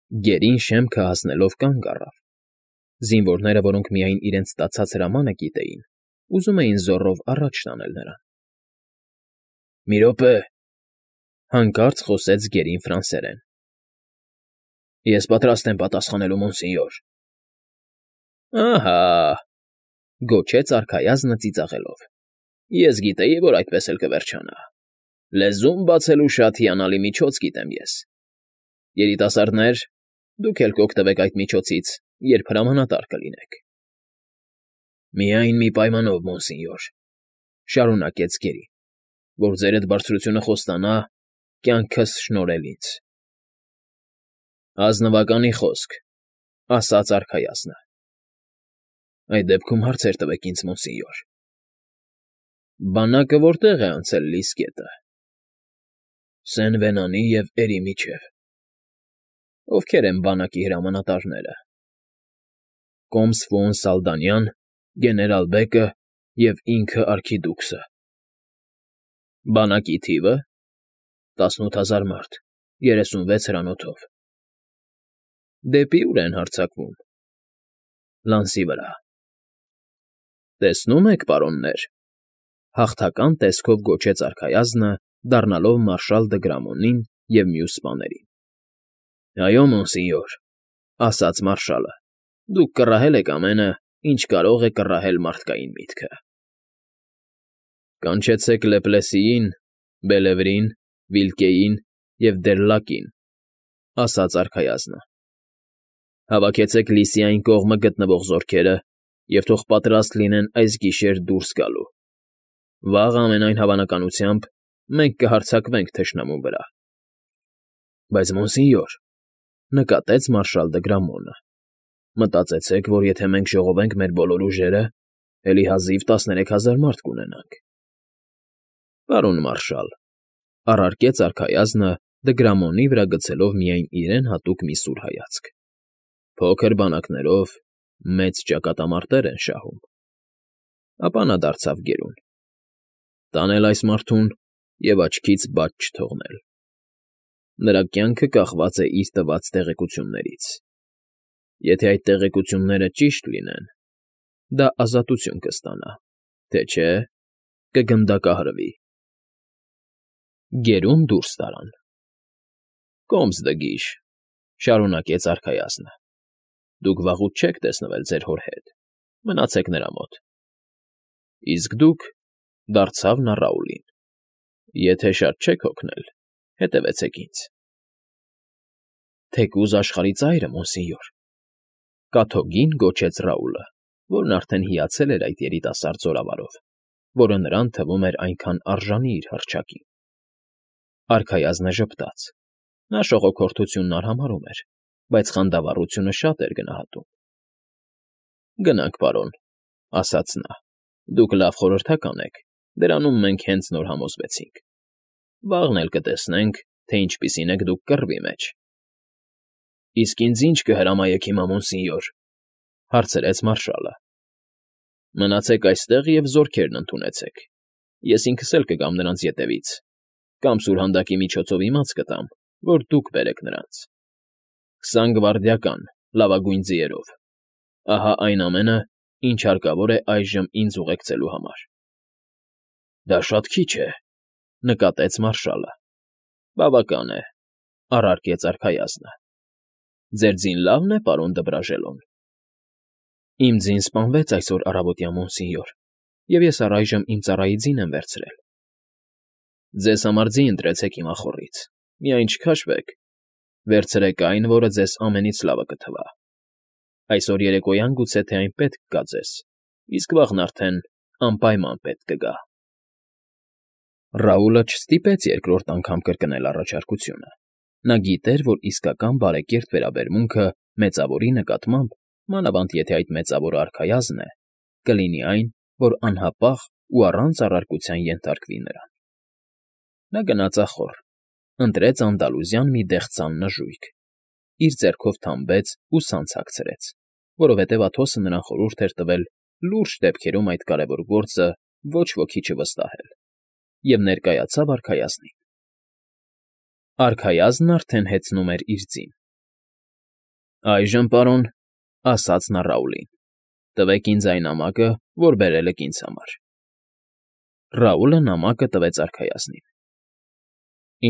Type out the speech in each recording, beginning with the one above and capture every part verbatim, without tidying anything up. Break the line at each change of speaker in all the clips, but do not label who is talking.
Գերին շեմքը հասնելով կանգ առավ. զինվորները, որոնք միայն իրենց ստացած հրամանը գիտեին, ուզում էին զոռով առաջ տանել նրան։ ֊ Մի րոպե,֊ հանկարծ խոսեց գերին ֆրանսերեն։ ֊ Ես պատրաստ եմ պատասխանելու, մոնսենյոր։ ֊ Ահա,֊ գոչեց արքայազնը ծիծաղելով։֊ Ես գիտեի, որ այդպես էլ կվերջանա։ Լեզում բացելու շատ հիանալի միջոց գիտեմ ես։ Երիտասարդներ, դուք էլ կօգտվեք այդ միջոցից, երբ հրամանատար կլինեք։ ֊ Միայն մի պայմանով, մոնսենյոր,֊ շարունակեց գերին,֊ որ ձերդ բարձրությունը խոստանա կյանքս շնորհել ինձ։ ֊ Ազնվականի խոսք,֊ ասաց արքայազնը։ ֊ Այդ դեպքում հարցեր տվեք ինձ, մոնսենյոր։ ֊ Բանակը որտե՞ղ է անցել Լիս գետը։ ֊ Սեն֊Վենանի և Էրի միջև։ ֊ Ովքեր են բանակի հրամանատարները։ ֊ Կոմս Ֆոուն֊Սալդանյան, գեներալ֊բեկը և ինքը արքիդուքսը։ ֊ Բանակի թիվը՝ տասնութ հազար մարդ, երեսունվեց հրանոթով։ ֊ Դեպի ո՞ւր են հարձակվում։ ֊ Լանսի վրա։ ֊ Տեսնում եք, պարոններ,֊ հաղթական տեսքով գոչեց արքայազնը, դառնալով մարշալ Դգրամոնին և մյուս սպաներին։ ֊ Այո, մոնսենյոր,֊ ասաց մարշալը,֊ դուք կռահել եք ամենը, ինչ կարող է կռահել մարդկային միտքը։ ֊ Կանչեցեք Լեպլեսիին, Բելևրին, Վիլկեին և Դերլակին,֊ ասաց արքայազնը։ Հավաքեցեք Լիսի այն կողմը գտնվող զորքերը և թող պատրաստ լինեն այս գիշեր դուրս գալու։ Վաղը, ամենայն հավանականությամբ, մենք կհարձակվենք թշնամու վրա։ ֊ Բայց, մոնսենյոր,֊ նկատեց մարշալ Դգրամոնը,֊ մտածեցեք, որ եթե մենք ժողովենք մեր բոլոր ուժերը, էլի հազիվ տասներեք հազար մարդ կունենանք։ ֊ Պարոն մարշալ,֊ առարկեց արքայազնը, Դգրամոնի վրա գցելով միայն իրեն հատուկ մի սուր հայացք,֊ փոքր բանակներով մեծ ճակատամարտեր են շահում։ Ապա նա դարձավ գերուն. տանել այս մարդուն և աչքից բաց չթողնել։ Նրա կյանքը կախված է իր տված տեղեկություններից։ Եթե այդ տեղեկությունները ճիշտ լինեն, դա ազատություն կստանա, թե չէ՝ կգնդակահրվի։ Գերուն դուրս տարան։ ֊ Կոմս֊Դգիշ,֊ շարունակեց արքայազնը,֊ դուք վաղուց չեք տեսնվել ձեր հոր հետ, մնացեք նրա մոտ։ ֊ Իսկ դուք,֊ դարձավ նա Ռաուլին,֊ եթե շատ չեք հոգնել, հետևեցեք ինձ։ ֊ Թեկուզ աշխարհի ծայրը, մոնսենյոր,֊ կաթոկին գոչեց Ռաուլը, որն արդեն հիացել էր այդ երիտասարդ զորավարով, որը նրան թվում էր այնքան արժանի իր հռչակին։ Արքայազնը ժպտաց. նա շողոքորթությունն արհամարհում էր, բայց խանդավառությունը շատ էր գնահատում։ ֊ Գնանք, պարոն,֊ ասաց նա,֊ դուք լավ խորհրդական եք, դրանում մենք հենց նոր համոզվեցինք։ Վաղն էլ կտեսնենք, թե ինչպիսին եք դուք կռվի մեջ։ ֊ Իսկ ինձ ի՞նչ կհրամայեք հիմա, մոնսենյոր,֊ հարցրեց մարշալը։ ֊ Մնացեք այստեղ և զորքերն ընդունեցեք, ես ինքս էլ կգամ նրանց ետևից, կամ սուրհանդակի միջոցով իմաց կտամ, որ դուք բերեք նրանց։ Քսան գվարդիական, լավագույն ձիերով։ Ահա այն ամենը, ինչ հարկավոր է այժմ ինձ ուղեկցելու համար։ ֊ Դա շատ քիչ է,֊ նկատեց մարշալը։ ֊ Բավական է,֊ առարկեց արքայազնը։ ֊ Ձեր ձին լավն է, պարոն Դբրաժելոն։ ֊ Իմ ձին սպանվեց այսօր առավոտյան, մոնսենյոր, և ես առայժմ իմ ծառայի ձին եմ վերցրել։ ֊ Ձեզ համար ձի ընտրեցեք իմ ախոռից, միայն չքաշվեք, վերցրեք այն, որը ձեզ ամենից լավը կթվա։ Այսօր երեկոյան գուցե թե այն պետք կգա ձեզ, իսկ վաղն արդեն անպայման պետք կգա։ Ռաուլը չստիպեց երկրորդ անգամ կրկնել առաջարկությունը. նա գիտեր, որ իսկական բարեկիրթ վերաբերմունքը մեծավորի նկատմամբ, մանավանդ եթե այդ մեծավորը արքայազն է, կլինի այն, որ անհապաղ ու առանց առարկության ենթարկվի նրան։ Նա գնաց ախոռ, ընտրեց անդալուզյան մի դեղցան նժույգ, իր ձեռքով թամբեց ու սանձ հագցրեց, որովհետև Աթոսը նրան խորհուրդ էր տվել լուրջ դեպքերում այդ կարևոր գործը ոչ ոքի չվստահել, և ներկայացավ արքայազնին։ Արքայազնն արդեն հեծնում էր իր ձին։ Այժմ, պարոն, ասաց նա Ռաուլին, տվեք ինձ այն նամակը, որ բերել եք ինձ համար։ Ռաուլը նամակը տվեց արքայազնին։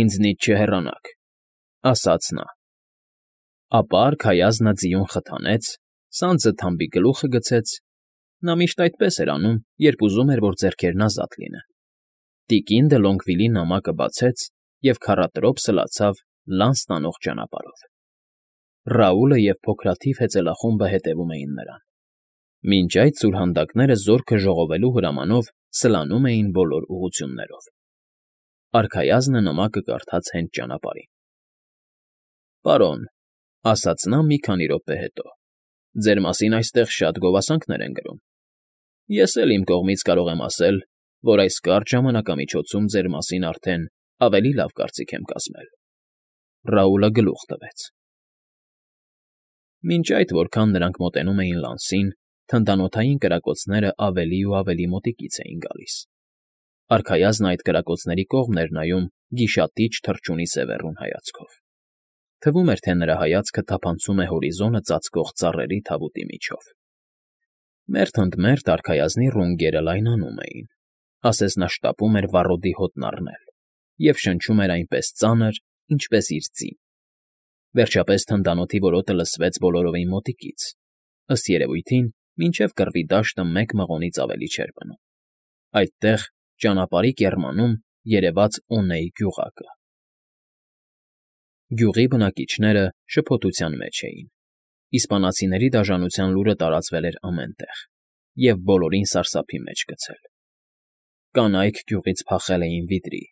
Ինձնից չհեռանաք, ասաց նա։ Ապա արքայազնը ձիուն խթանեց, սանձը թամբի գլուխը գցեց. նա միշտ այդպես էր անում, երբ ուզում էր, որ ձեռքերն ազատ լինեն։ Տիկին Դլոնգվիլի նամակը բացեց և քառատրոփ սլացավ լանց տանող ճանապարհով։ Ռաուլը և փոքրաթիվ հեծելախումբը հետևում էին նրան։ Մինչ այդ սուրհանդակները զորքը ժողովելու հրամանով սլանում էին բոլոր ուղղություններով։ Արքայազնը նամակը կարդաց հենց ճանապարհին։ Պարոն, ասաց նա մի քանի րոպե հետո, ձեր մասին այստեղ շատ գովասանքներ են գրում։ Ես էլ իմ կողմից կարող եմ ասել, որ այս կարճ ժամանակամիջոցում ձեր մասին արդեն ավելի լավ կարծիք եմ կազմել։ Ռաուլը գլուխ տվեց։ Մինչ այդ, որքան նրանք մոտենում էին լանսին, թնդանոթային կրակոցներն ավելի ու ավելի մոտիկից էին գալիս։ Արքայազնը այդ կրակոցների կողմն էր նայում գիշատիչ թռչունի սևեռուն հայացքով։ Թվում էր, թե նրա հայացքը թափանցում է հորիզոնը ծածկող ծառերի թավուտի միջով։ Մերթ ընդ մերթ արքայազնի ռունգերը լայնանում էին, ասես նա շտապում էր վառոդի հոտն առնել, և շնչում էր այնպես ծանր, ինչպես իր ձին։ Վերջապես թնդանոթի որոտը լսվեց բոլորովին մոտիկից, ըստ երևույթին, մինչև կռվի դաշտը մեկ մղոնից ավելի չէր մնում։ Այդտեղ, ճանապարհի կեռմանում, երևաց Օնեի գյուղակը։ Գյուղի բնակիչները շփոթության մեջ էին։ Իսպանացիների դաժանության լուրը տարածվել էր ամեն տեղ և բոլորին սարսափի մեջ գցել։ Կանայք գյուղից փախել էին վիթրի,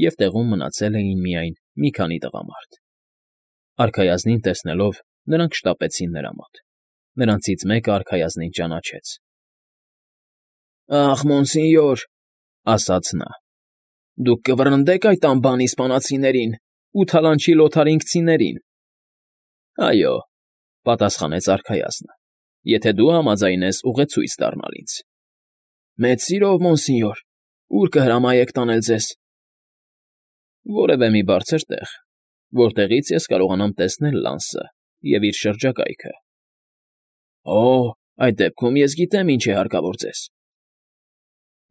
և տեղում մնացել էին միայն մի քանի տղամարդ։ Արքայազնին տեսնելով, նրանք շտապեցին նրա մոտ։ Նրանցից մեկը արքայազնին ճանաչեց։ Ախ, մոնսինյոր, ասաց նա, դուք կվռնդե՞ք այդ անբան իսպանացիներին ու թալանչի լոթարինգցիներին։ Այո, պատասխանեց արքայազնը, եթե դու համաձայնես ուղեցույց դառնալ ինձ։ Մեծ սիրով, մոնսինյոր, ուր կհրամայեք տանել ձեզ։ Որևէ մի բարձր տեղ, որտեղից ես կարողանամ տեսնել Լանսը և իր շրջակայքը։ Օ, այդ դեպքում ես գիտեմ, ինչ է հարկավոր ձեզ։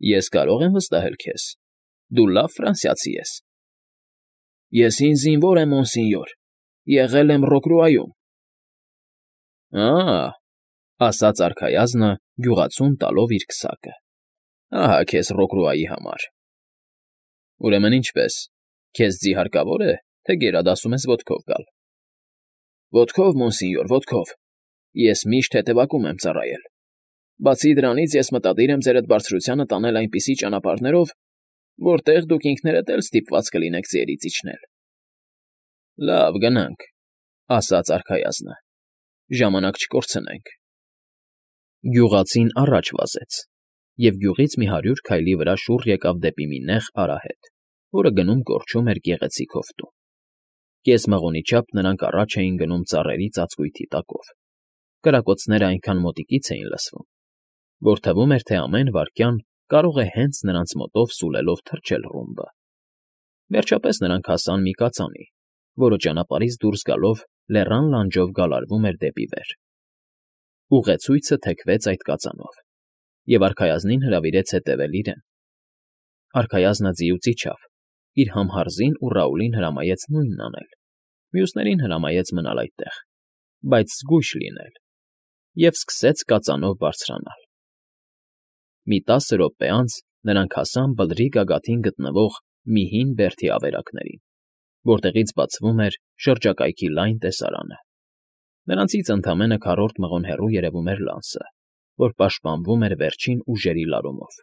Ես կարող եմ վստահել քեզ, դու լավ ֆրանսիացի ես։ Ես հին զինվոր եմ, մոնսինյոր, եղել եմ Ռոկրուայում։ Ա՜, ասաց արքայազնը, գյուղացուն տալով իր քսակը։ Ահա քեզ Ռոկրուայի համար։ Ուրեմն ինչպես, քեզ ձի հարկավոր է, թե գերադասում ես ոտքով գալ։ Ոտքով, մոնսինյոր, ոտքով, ես միշտ հետևակում եմ ծառայել։ Բացի դրանից, ես մտադիր եմ ձերդ բարձրությանը տանել այնպիսի ճանապարհներով, որտեղ դուք ինքներդ էլ ստիպված կլինեք ձիերից իջնել։ Լավ, գնանք, ասաց արքայազնը, ժամանակ չկորցնենք։ Գյուղացին առաջ վազեց, և գյուղից մի հարյուր քայլի վրա շուռ եկավ դեպի մի նեղ արահետ, որը գնում կորչում էր գեղեցիկ հովտում։ Կես մղոնի չափ նրանք առաջ էին գնում ծառերի ծածկույթի տակով։ Կրակոցներն այնքան մոտիկից էին լսվում, որ թվում էր, թե ամեն վայրկյան կարող է հենց նրանց մոտով սուլելով թռչել ռումբը։ Վերջապես նրանք հասան մի կածանի, որը ճանապարհից դուրս գալով լեռան լանջով գալարվում էր դեպի վեր։ Ուղեցույցը թեքվեց այդ կածանով, և արքայազնին հրավիրեց հետևել իրեն։ Արքայազնը ձիուց իջավ, իր համհարզին ու Ռաուլին հրամայեց նույնն անել, մյուսներին հրամայեց մնալ այդտեղ, բայց զգույշ լինել, և սկսեց կածանով բարձրանալ։ Մի տասը րոպե անց նրանք հասան բլրի գագաթին գտնվող մի հին բերդի ավերակներին, որտեղից բացվում էր շրջակայքի լայն տեսարանը։ Նրանցից ընդամենը քառորդ մղոն հեռու երևում էր Լանսը, որ պաշտպանվում էր վերջին ուժերի լարումով,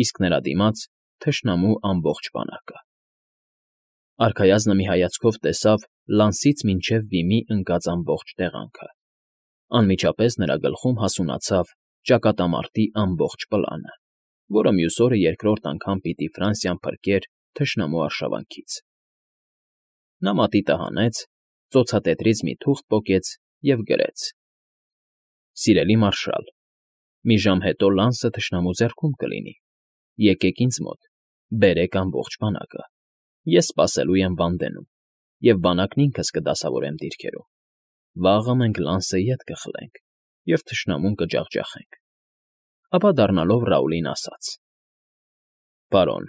իսկ նրա դիմաց թշնամու ամբողջ բանակը։ Արքայազնը մի հայացքով տեսավ Լանսից մինչև Վիմի ընկած ամբողջ տեղանքը։ Անմիջապես նրա գլխում հասունացավ ճակատամարտի ամբողջ պլանը, որը մյուս օրը երկրորդ անգամ պիտի Ֆրանսիան փրկեր թշնամու արշավանքից։ Նա մատիտը հանեց, ծոցատետրից մի թուղթ պոկեց և գրեց. Սիրելի մարշալ, մի ժամ հետո Լանսը թշնամու ձեռքում կլինի։ Եկեք ինձ մոտ, բերեք ամբողջ բանակը։ Ես սպասելու եմ Վանդենում, և բանակն ինքս կդասավորեմ դիրքերում։ Վաղը մենք Լանսը ետ կխլենք և թշնամուն կջախջախենք։ Ապա դառնալով Ռաուլին ասաց. Պարոն,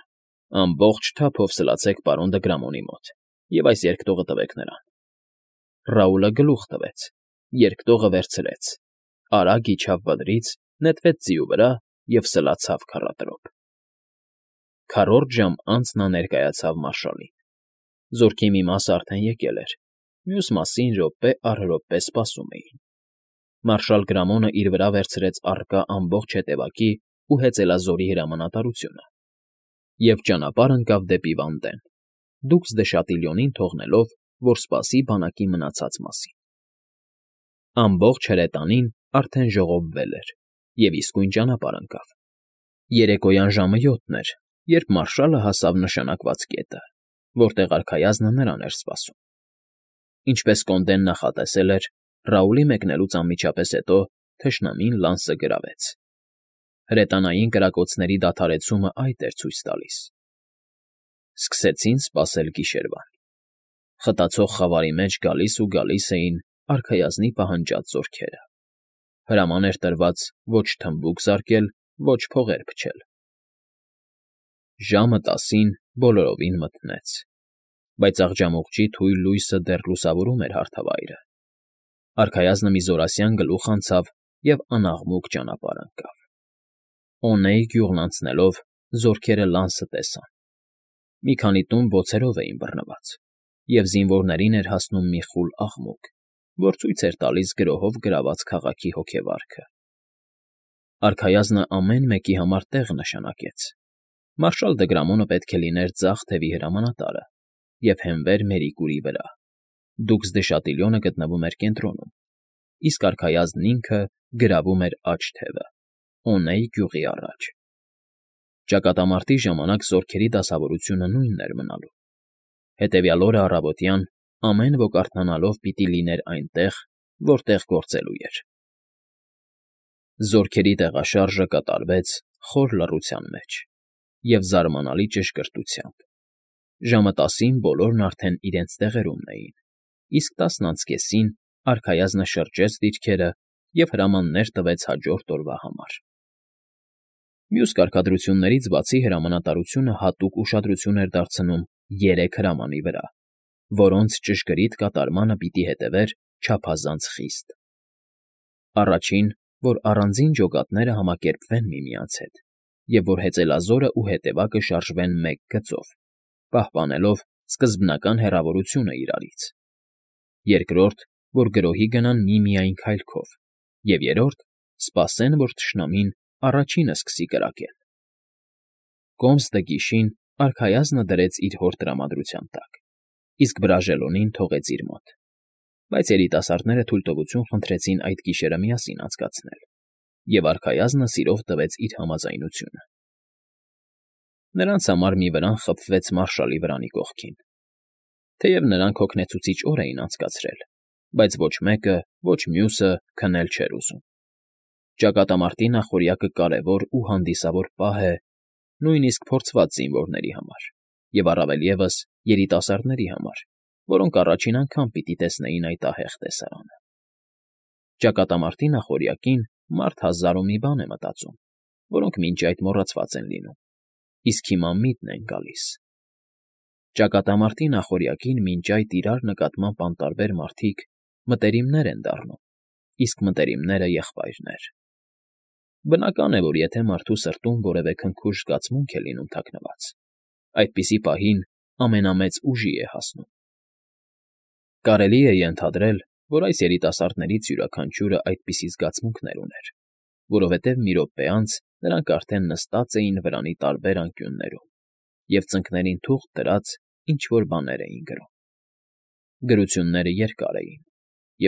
ամբողջ թափով սլացեք պարոն Դգրամոնի մոտ և այս երկտողը տվեք նրան։ Ռաուլը գլուխ տվեց, երկտողը վերցրեց, արագ իջավ բլրից, նետվեց ձիու վրա և սլացավ քառատրոփ։ Քառորդ ժամ անց նա ներկայացավ մարշալին։ Զորքի մի մասը արդեն եկել էր, մյուս մասին րոպե առ րոպե սպասում էին։ Մարշալ Գրամոնը իր վրա վերցրեց առկա ամբողջ հետևակի ու հեծելազորի հրամանատարությունը և ճանապարհ ընկավ դեպի Վանդեն, դուքս Դեշատիլյոնին թողնելով, որ սպասի բանակի մնացած մասին։ Ամբողջ հրետանին արդեն ժողովվել էր և իսկույն ճանապարհ ընկավ։ Երեկոյան ժամը յոթն էր, երբ մարշալը հասավ նշանակված կետը, որտեղ արքայազնը նրան էր սպասում։ Ինչպես Կոնդեն նախատեսել էր, Ռաուլի մեկնելուց անմիջապես հետո թշնամին Լանսը գրավեց։ Հրետանային կրակոցների դադարեցումը այդ էր ցույց տալիս։ Սկսեցին սպասել գիշերվան։ Խտացող խավարի մեջ գալիս ու գալիս էին արքայազնի պահանջած զորքերը։ Հրաման էր տրված ոչ թմբուկ զարկել, ոչ փողեր փչել։ Ժամը տասին բոլորովին մթնեց, բայց աղջամուղջի թույլ լույսը դեռ լուսավորում էր հարթավայրը։ Արքայազնը մի զորասյան գլուխ անցավ և անաղմուկ ճանապարհ ընկավ։ Օնեի գյուղն անցնելով զորքերը Լանսը տեսան։ Մի քանի տուն բոցերով էին բռնված, և զինվորներին էր հասնում մի խուլ աղմուկ, որ ցույց էր տալիս գրոհով գրաված քաղաքի հոգեվարքը։ Արքայազնը ամեն մեկի համար տեղ նշանակեց։ Մարշալ Դգրամոնը պետք է լիներ ձախ թևի հրամանատարը և հենվեր Մերիկուրի վրա։ Դուքս Դեշատիլյոնը գտնվում էր կենտրոնում, իսկ արքայազնն ինքը գրավում էր աջ թևը, Օնեի գյուղի առաջ։ Ճակատամարտի ժամանակ զորքերի դասավորությունը նույնն էր մնալու։ Հետևյալ օրը առավոտյան ամեն ոք արթնանալով պիտի լիներ այնտեղ, որտեղ գործելու էր։ Զորքերի տեղաշարժը կատարվեց խոր լռության մեջ և զարմանալի ճշգրտությամբ։ Ժամը տասին բոլորն արդեն իրենց տեղերումն էին, իսկ տասն անց կեսին արքայազնը շրջեց դիրքերը և հրամաններ տվեց հաջորդ օրվա համար։ Մյուս կարգադրություններից բացի հրամանատարությունը հատուկ ուշադրություն էր դարձնում երեք հրամանի վրա, որոնց ճշգրիտ կատարմանը պիտի հետևեր չափազանց խիստ։ Առաջին, որ առանձին ջոկատները համակերպվեն միմյանց հետ, և որ հեծելազորը ու հետևակը շարժվեն մեկ գծով, պահպանելով սկզբնական հեռավորությունը իրարից։ Երկրորդ, որ գրոհի գնան միմիայն քայլքով, և երրորդ, սպասեն, որ թշնամին առաջինը սկսի կրակել։ Կոմս տգիշին արքայազնը դրեց իր հոր տրամադրության տակ, իսկ Բրաժելոնին թողեց իր մոտ, բայց երիտասարդները թույլտվություն խնդրեցին այդ գիշերը միասին անցկացնել, և արքայազնը սիրով տվեց իր համաձայնությունը։ Նրանց համար մի վրան խփվեց մարշալի վրանի կողքին։ Թեև նրանք հոգնեցուցիչ օր էին անցկացրել, բայց ոչ մեկը, ոչ մյուսը քնել չէր ուզում։ Ճակատամարտի նախօրյակը կարևոր ու հանդիսավոր պահ է նույնիսկ փորձված զինվորների համար, և առավել ևս երիտասարդների համար, որոնք առաջին անգամ պիտի տեսնեին այդ ահեղ տեսարանը։ Ճակատամարտի նախօրյակին մարդ հազար ու մի բան է մտածում, որոնք մինչ այդ մոռացված են լինում, իսկ հիմա միտն են գալիս։ Ճակատամարտի նախօրյակին մինչ այդ իրար նկատմամբ անտարբեր մարդիկ մտերիմներ են դառնում, իսկ մտերիմները եղբայրներ։ Բնական է, որ եթե մարդու սրտում որևէ քնքուշ զգացմունք է լինում թաքնված, այդպիսի պահին ամենամեծ ուժի է հասնում։ Կարելի է ենթադրել, որ այս երիտասարդներից յուրաքանչյուրը այդպիսի զգացմունքներ ուներ, որովհետև մի րոպե անց նրանք արդեն նստած էին վրանի տարբեր անկյուններում և ծնկներին թուղթ դրած ինչ֊որ բաներ էին գրում։ Գրությունները երկար էին,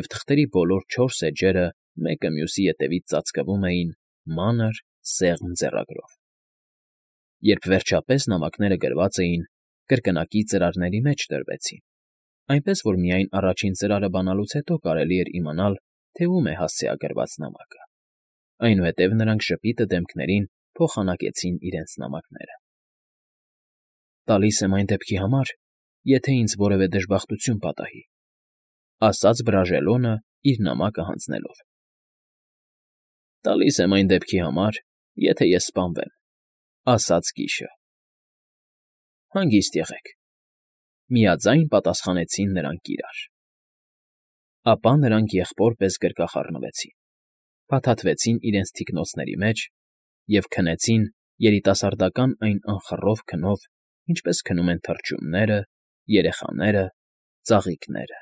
և թղթերի բոլոր չորս էջերը մեկը մյուսի ետևից ծածկվում էին մանր, սեղմ ձեռագրով։ Երբ վերջապես նամակները գրված էին, կրկնակի ծրարների մեջ դրվեցին, այնպես որ միայն առաջին ծրարը բանալուց հետո կարելի էր իմանալ, թե ում է հասցեագրված նամակը։ Այնուհետև նրանք ժպիտը դեմքներին փոխանակեցին իրենց նամակները։ «Տալիս եմ այն դեպքի համար, եթե ինձ որևէ դժբախտություն պատահի,֊ ասաց Բրաժելոնը իր նամակը հանձնելով։ ֊ Տալիս եմ այն դեպքի համար, եթե ես սպանվեմ,֊ ասաց կիշը։ ֊ Հանգիստ եղեք,֊ միաձայն պատասխանեցին նրանք իրար։ Ապա նրանք եղբոր պես գրկախառնվեցին, փաթաթվեցին իրենց թիկնոցների մեջ և քնեցին երիտասարդական այն անխռով քնով, ինչպես քնում են թռչունները, երեխաները, ծաղիկները։